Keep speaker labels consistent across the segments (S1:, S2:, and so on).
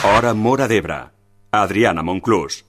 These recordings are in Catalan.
S1: Hora Móra d'Ebre. Adriana Monclús.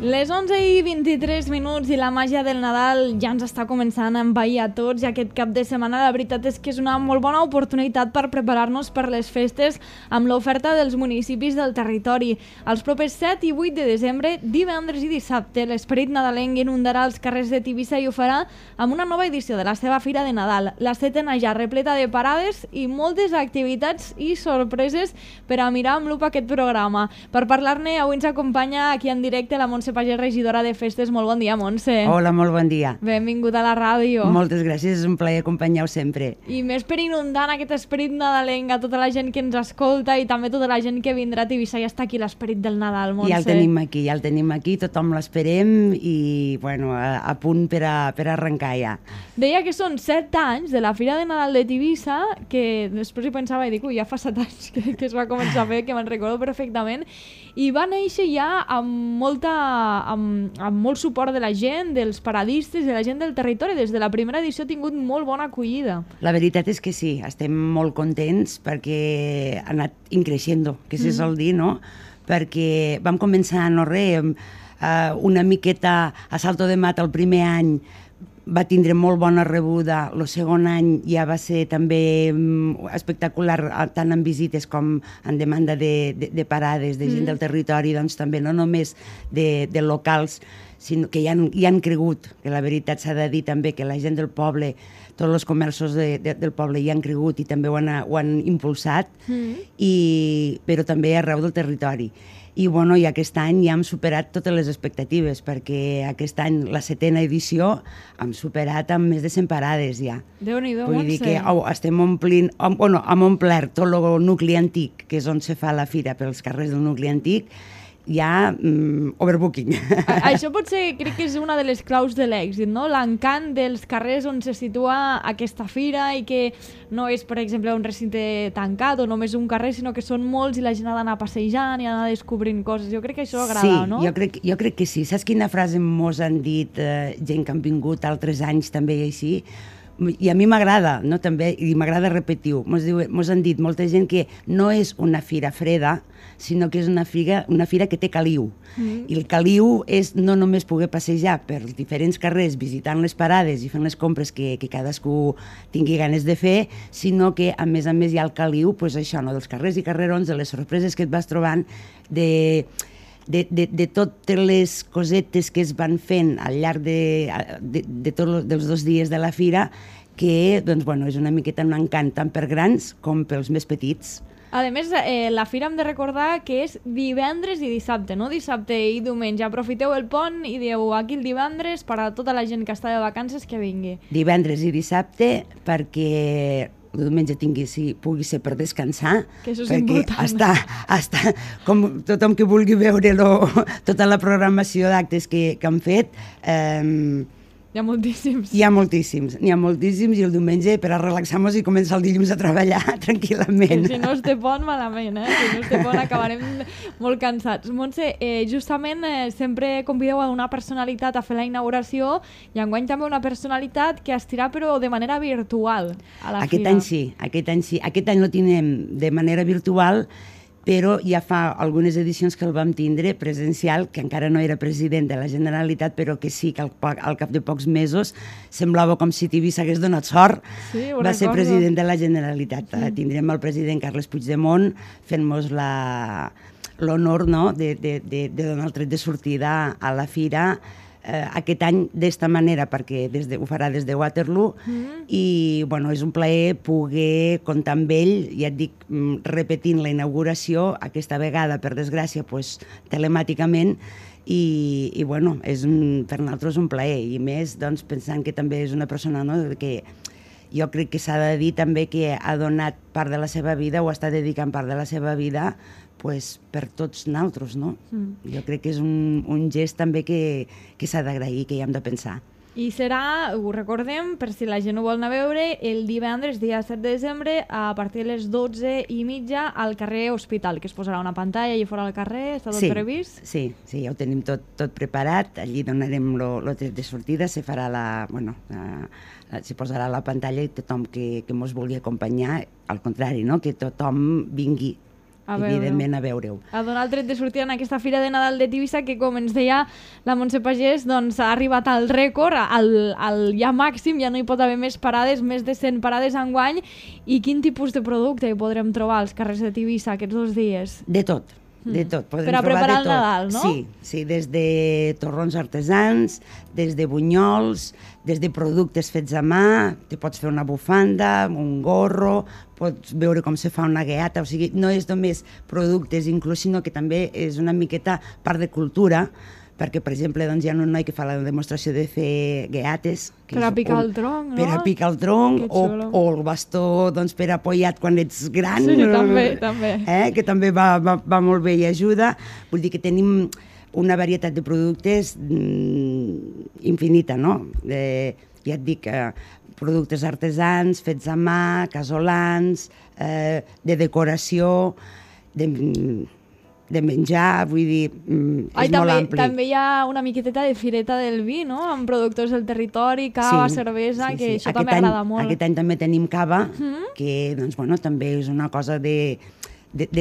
S2: Les 11:23 i la màgia del Nadal ja ens està començant a envair a tots i aquest cap de setmana la veritat és que és una molt bona oportunitat per preparar-nos per les festes amb l'oferta dels municipis del territori. Els propers 7 i 8 de desembre, divendres i dissabte, l'esperit nadalenc inundarà els carrers de Tivissa i ho farà amb una nova edició de la seva Fira de Nadal. La setena ja repleta de parades i moltes activitats i sorpreses per a mirar amb lupa aquest programa. Per parlar-ne, avui ens acompanya aquí en directe la Montse Pagès, regidora de festes. Molt bon dia, Montse.
S3: Hola, molt bon dia.
S2: Benvinguda a la ràdio.
S3: Moltes gràcies, és un plaer acompanyar-ho sempre.
S2: I més per inundar aquest esperit nadalenc a tota la gent que ens escolta i també tota la gent que vindrà a Tivissa. Ja està aquí l'esperit del Nadal, Montse.
S3: Ja el tenim aquí, tothom l'esperem i bueno, a punt per arrencar ja.
S2: Deia que són 7 anys de la Fira de Nadal de Tivissa, que després hi pensava i dic, ja fa 7 anys que es va començar a fer, que me'n recordo perfectament, i va néixer ja amb molt suport de la gent, dels paradistes, de la gent del territori. Des de la primera edició ha tingut molt bona acollida.
S3: La veritat és que sí, estem molt contents perquè ha anat increixent, que se sol dir, no? Perquè vam començar, no res, una miqueta a Salto de Mata el primer any, va tindre molt bona rebuda, el segon any ja va ser també espectacular, tant en visites com en demanda de parades, de gent del territori, doncs també no només de locals, sinó que hi han cregut, que la veritat s'ha de dir també que la gent del poble, tots els comerços del poble hi han cregut i també ho han impulsat, però també arreu del territori. I bueno, i aquest any ja hem superat totes les expectatives, perquè aquest any, la 7a edició, hem superat amb més de 100 parades ja.
S2: Déu-n'hi-do,
S3: Vull dir que estem omplint, hem omplert tot el nucli antic, que és on se fa la fira pels carrers del nucli antic, ja overbooking.
S2: Això potser crec que és una de les claus de l'èxit, no? L'encant dels carrers on se situa aquesta fira i que no és, per exemple, un recinte tancat o només un carrer, sinó que són molts i la gent ha d'anar passejant i ha d'anar descobrint coses. Jo crec que això agrada, no?
S3: Sí, jo crec que sí. Saps quina frase mos han dit gent que han vingut altres anys també i així? I a mi m'agrada, no? També, i m'agrada repetir-ho. Mos han dit molta gent que no és una fira freda, sinó que és una fira que té caliu. I el caliu és no només poder passejar per els diferents carrers visitant les parades i fent les compres que cadascú tingui ganes de fer, sinó que a més hi ha el caliu, doncs això, no? Dels carrers i carrerons, de les sorpreses que et vas trobant, de totes les cosetes que es van fent al llarg de tots els 2 dies de la fira, que doncs, bueno, és una miqueta un encant tant per grans com pels més petits.
S2: A més, la fira hem de recordar que és divendres i dissabte, no dissabte i diumenge. Aprofiteu el pont i dieu aquí el divendres per a tota la gent que està de vacances que vingui. Divendres
S3: i dissabte perquè el diumenge pugui ser per descansar,
S2: que això és
S3: perquè
S2: important.
S3: està com tothom que vulgui veure tota la programació d'actes que han fet.
S2: Hi ha moltíssims.
S3: N'hi ha moltíssims i el diumenge per a relaxar-nos i començar el dilluns a treballar tranquil·lament.
S2: Si no es té pont, malament, Si no es té pont acabarem molt cansats. Montse, justament sempre convideu a una personalitat a fer la inauguració i enguany també una personalitat que estirà però de manera virtual a la
S3: fira. Aquest any lo tindrem de manera virtual, però ja fa algunes edicions que el vam tindre presencial, que encara no era president de la Generalitat, però que sí que al cap de pocs mesos semblava com si Tivissa hagués donat sort.
S2: Sí,
S3: va ser president de la Generalitat. Tindrem el president Carles Puigdemont fent-nos l'honor, no?, de donar el tret de sortida a la fira, aquest any d'esta manera, perquè ho farà des de Waterloo, i bueno, és un plaer poder comptar amb ell, ja et dic, repetint la inauguració, aquesta vegada, per desgràcia, pues, telemàticament, i bueno, és per nosaltres un plaer, i més doncs, pensant que també és una persona, no?, que jo crec que s'ha de dir també que ha donat part de la seva vida o està dedicant part de la seva vida pues, per tots nosaltres, no? Jo crec que és un gest també que s'ha d'agrair, que hi hem de pensar.
S2: I serà, ho recordem, per si la gent ho vol anar a veure, el divendres, dia 7 de desembre, a partir de les 12:30 al carrer Hospital, que es posarà una pantalla allà fora al carrer, està tot previst?
S3: Sí, ja ho tenim tot preparat, allí donarem el tret de sortida, se farà se posarà la pantalla i tothom que mos vulgui acompanyar, al contrari, no? Que tothom vingui evidentment a veure-ho.
S2: A donar el tret de sortida en aquesta Fira de Nadal de Tivissa que, com ens deia la Montse Pagès, doncs ha arribat al rècord, al ja màxim, ja no hi pot haver més parades, més de 100 parades enguany. I quin tipus de producte hi podrem trobar als carrers de Tivissa aquests 2 dies?
S3: De tot. De tot.
S2: Per a preparar el Nadal, no?
S3: Sí, des de torrons artesans, des de bunyols, des de productes fets a mà, te pots fer una bufanda, un gorro, pots veure com se fa una gueata, o sigui, no és només productes inclús, sinó que també és una miqueta part de cultura, perquè, per exemple, doncs, hi ha un noi que fa la demostració de fer gueates.
S2: Per a picar el tronc, no?
S3: Per a picar el tronc, o el bastó doncs, per apoyat quan ets gran.
S2: Sí, també.
S3: Que també va molt bé i ajuda. Vull dir que tenim una varietat de productes infinita, no? Ja et dic, productes artesans, fets a mà, casolans, de decoració, de menjar, vull dir, és molt ampli.
S2: També hi ha una miqueteta de fireta del vi, no?, amb productors del territori, cava, cervesa, que això també agrada molt.
S3: Aquest any també tenim cava, que doncs, bueno, també és una cosa de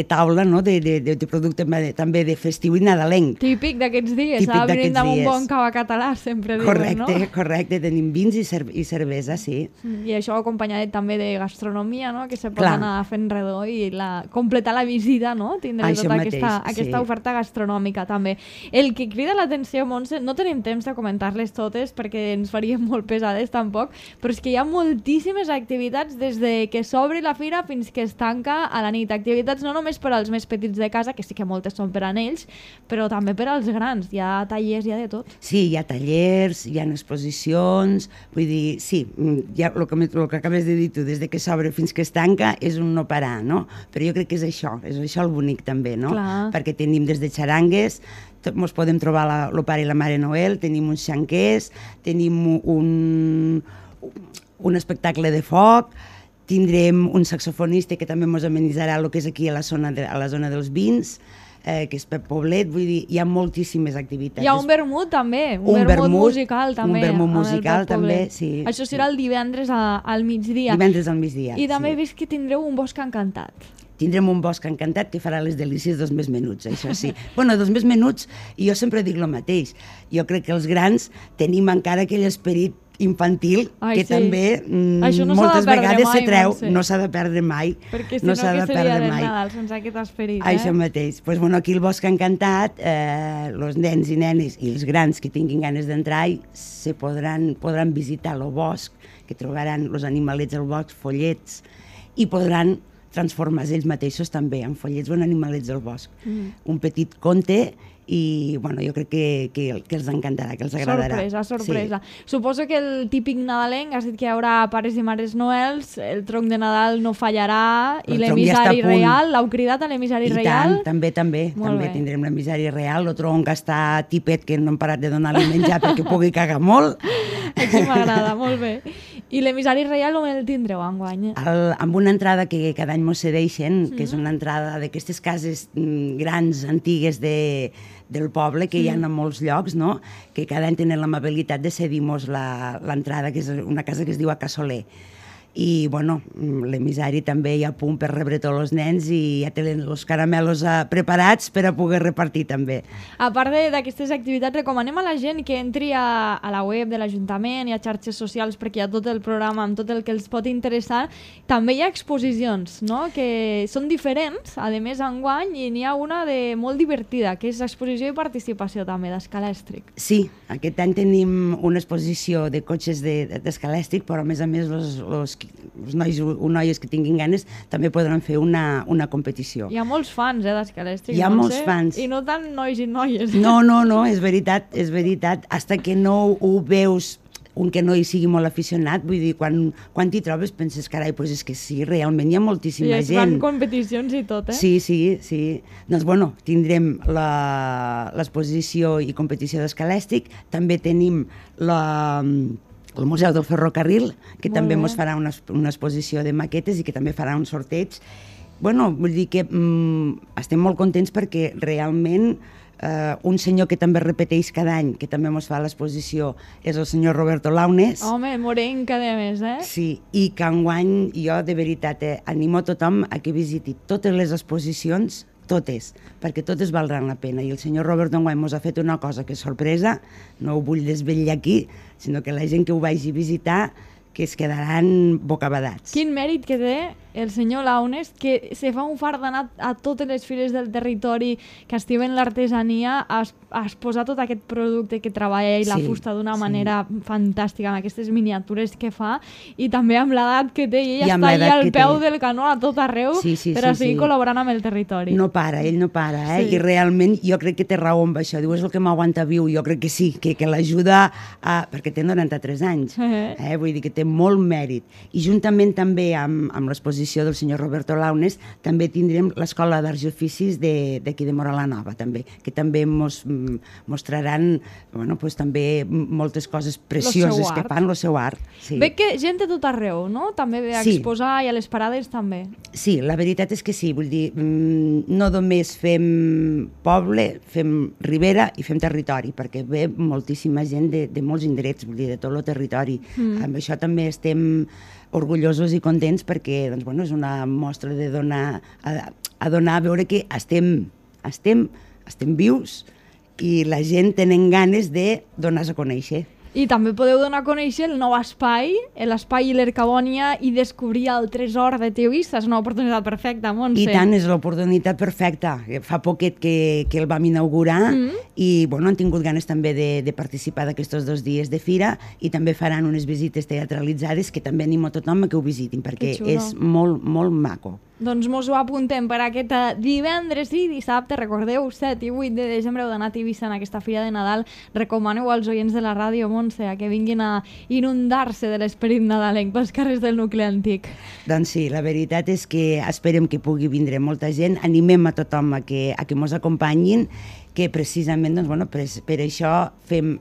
S3: taula, no?, de producte també de festiu i nadalenc.
S2: Típic d'aquests dies, a brindar amb un bon cava català, sempre diuen, no?
S3: Correcte, tenim vins i cervesa, sí.
S2: I això acompanyat també de gastronomia, no?, que se pot anar fent redó i completar la visita, no?, tindre tota aquesta oferta gastronòmica també. El que crida l'atenció, Montse, no tenim temps de comentar-les totes perquè ens faríem molt pesades tampoc, però és que hi ha moltíssimes activitats des de que s'obri la fira fins que es tanca a la nit. Activitats no només per als més petits de casa, que sí que moltes són per a ells, però també per als grans. Hi ha tallers, hi ha de tot.
S3: Sí, hi ha tallers, hi ha exposicions, vull dir, sí, el que acabes de dir tu, des que s'obre fins que es tanca, és un no parar, no? Però jo crec que és això el bonic també, no?
S2: Clar.
S3: Perquè tenim des de xarangues, ens podem trobar el pare i la mare Noel, tenim uns xanquers, tenim un espectacle de foc, tindrem un saxofonista que també ens amenitzarà el que és aquí a la zona dels vins, que és Pep Poblet, vull dir, hi ha moltíssimes activitats.
S2: Hi ha un vermut també, un vermut musical també.
S3: Un vermut musical també, sí.
S2: Això serà el divendres al migdia.
S3: Divendres al migdia,
S2: I també he vist que tindreu un bosc encantat.
S3: Tindrem un bosc encantat que farà les delícies dels més menuts, això sí. Bueno, dels més menuts, i jo sempre dic el mateix. Jo crec que els grans tenim encara aquell esperit infantil que també moltes vegades se treu, no s'ha de perdre mai.
S2: Perquè si no, que seria del Nadal sense aquest esperit.
S3: Això mateix. Doncs aquí el Bosc Encantat, els nens i nenes i els grans que tinguin ganes d'entrar podran visitar el bosc, que trobaran els animalets al bosc, follets, i podran transformar-se ells mateixos també en follets o en animalets del bosc. Un petit conte. I bueno, jo crec que els encantarà, que els agradarà.
S2: Sorpresa. Sí. Suposo que el típic nadalenc, has dit que hi haurà pares i mares noels, el tronc de Nadal no fallarà, i l'emissari real, l'heu cridat a l'emissari real?
S3: I tant, també tindrem l'emissari real, el tronc està tipet, que no hem parat de donar-li menjar perquè pugui cagar molt.
S2: Aquí m'agrada, molt bé. I l'emissari reial on el tindreu enguany?
S3: Amb una entrada que cada any mos cedeixen, que és una entrada d'aquestes cases grans, antigues del poble, que hi ha en molts llocs, no? Que cada any tenen l'amabilitat de cedir-nos l'entrada, que és una casa que es diu A Casoler. i bueno, l'emissari també hi ha a punt per rebre tots els nens i ja tenen els caramelos preparats per a poder repartir també.
S2: A part d'aquestes activitats, recomanem a la gent que entri a la web de l'Ajuntament i a xarxes socials perquè hi ha tot el programa amb tot el que els pot interessar. També hi ha exposicions, no?, que són diferents, a més enguany, i n'hi ha una de molt divertida, que és exposició i participació també d'escalèstric.
S3: Sí, aquest any tenim una exposició de cotxes d'escalèstric, però a més els nois o noies que tinguin ganes també podran fer una competició.
S2: Hi ha molts fans d'escalèstric.
S3: Hi ha molts fans.
S2: I no tant nois i noies.
S3: No, és veritat. Hasta que no ho veus un que no hi sigui molt aficionat, vull dir, quan t'hi trobes penses, carai, doncs és que sí, realment hi ha moltíssima gent.
S2: I es fan competicions i tot, eh?
S3: Sí. Doncs bueno, tindrem l'exposició i competició d'escalèstric, també tenim el Museu del Ferrocarril, que també ens farà una exposició de maquetes i que també farà un sorteig. Bueno, vull dir que estem molt contents perquè realment un senyor que també repeteix cada any, que també ens fa l'exposició, és el senyor Roberto Launes.
S2: Home, morenc cada mes, eh?
S3: Sí, i que enguany jo, de veritat, animo a tothom a que visiti totes les exposicions, totes, perquè totes valdran la pena. I el senyor Roberto enguany ens ha fet una cosa que és sorpresa, no ho vull desvetllar aquí, sinó que la gent que ho vagi a visitar que es quedaran bocabadats.
S2: Quin mèrit que té el senyor Launes, que se fa un fart d'anar a totes les fires del territori que estimen l'artesania a exposar tot aquest producte que treballa i la fusta d'una manera fantàstica, amb aquestes miniatures que fa, i també amb l'edat que té, i ell està allà al peu del canó a tot arreu per a seguir col·laborant amb el territori.
S3: No para, ell no para, i realment jo crec que té raó amb això, diu, és el que m'aguanta viu, jo crec que sí, que l'ajuda, perquè té 93 anys, vull dir que té molt mèrit. I juntament també amb l'exposició del senyor Roberto Launes també tindrem l'Escola d'Arts i Oficis d'aquí de Móra la Nova, també, que també mostraran també moltes coses precioses que fan, el seu art.
S2: Veig que gent de tot arreu, no? També ve a exposar i a les parades també.
S3: Sí, la veritat és que sí, vull dir, no només fem poble, fem ribera i fem territori, perquè ve moltíssima gent de molts indrets, vull dir, de tot el territori. Amb això també estem orgullosos i contents perquè és una mostra de donar a veure que estem vius i la gent tenen ganes de donar-se a conèixer.
S2: I també podeu donar a conèixer el nou espai, l'espai l'Ercabònia, i descobrir el tresor de Tivissa. És una oportunitat perfecta, Montse.
S3: I tant, és l'oportunitat perfecta. Fa poquet que el vam inaugurar i han tingut ganes també de participar d'aquests 2 dies de fira, i també faran unes visites teatralitzades que també animo a tothom a que ho visitin perquè és molt, molt maco.
S2: Doncs mos ho apuntem per aquest divendres i dissabte, recordeu, 7 i 8 de desembre heu d'anar a Tivissa en aquesta fira de Nadal. Recomaneu als oients de la ràdio, Montse, que vinguin a inundar-se de l'esperit nadalenc pels carrers del nucli antic.
S3: Doncs sí, la veritat és que esperem que pugui vindre molta gent, animem a tothom a que mos acompanyin, que precisament per això fem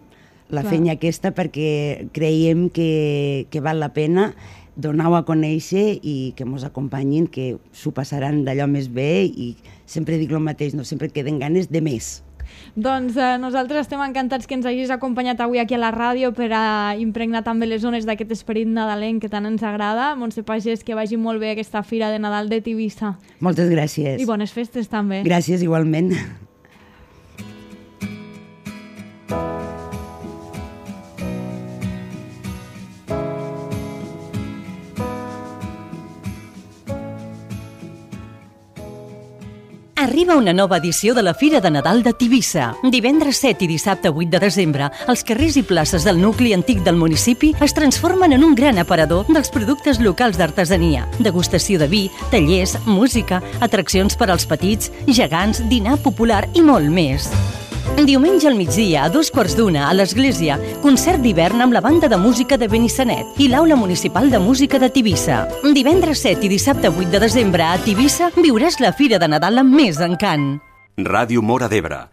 S3: la feina aquesta, perquè creiem que val la pena donar-ho a conèixer i que ens acompanyin, que s'ho passaran d'allò més bé, i sempre dic el mateix, sempre queden ganes de més.
S2: Doncs nosaltres estem encantats que ens hagis acompanyat avui aquí a la ràdio per a impregnar també les zones d'aquest esperit nadalenc que tant ens agrada. Montse Pagès, que vagi molt bé aquesta fira de Nadal de Tivissa.
S3: Moltes gràcies.
S2: I bones festes també.
S3: Gràcies, igualment.
S4: Arriba una nova edició de la Fira de Nadal de Tivissa. Divendres 7 i dissabte 8 de desembre, els carrers i places del nucli antic del municipi es transformen en un gran aparador dels productes locals d'artesania, degustació de vi, tallers, música, atraccions per als petits, gegants, dinar popular i molt més. Diumenge al migdia, a 1:15 a l'Església, concert d'hivern amb la banda de música de Benissanet i l'Aula Municipal de Música de Tivissa. Divendres 7 i dissabte 8 de desembre a Tivissa viuràs la Fira de Nadal amb més encant.
S1: Ràdio Móra d'Ebre,